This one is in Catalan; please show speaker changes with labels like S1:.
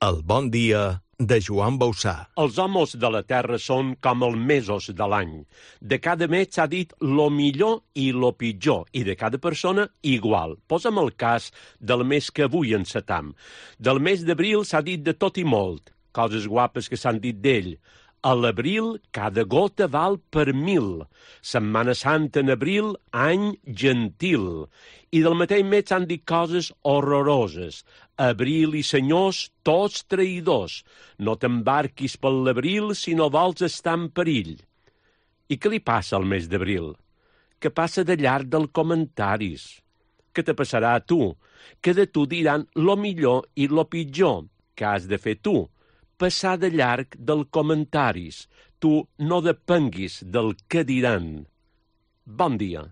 S1: El bon dia de Joan Bausà.
S2: Els homes de la terra són com els mesos de l'any. De cada mes s'ha dit lo millor i lo pitjor, i de cada persona igual. Posa'm el cas del mes que avui encetam. Del mes d'abril s'ha dit de tot i molt, coses guapes que s'han dit d'ell. A l'abril, cada gota val per 1000. Setmana Santa en abril, any gentil. I del mateix mes s'han dit coses horroroses. Abril i senyors, tots traïdors. No t'embarquis per l'abril si no vols estar en perill. I què li passa al mes d'abril? Que passa de llarg dels comentaris. Què te passarà a tu? Que de tu diran lo millor i lo pitjor. Què has de fer tu? Passar de llarg dels comentaris. Tu no depenguis del que diran. Bon dia.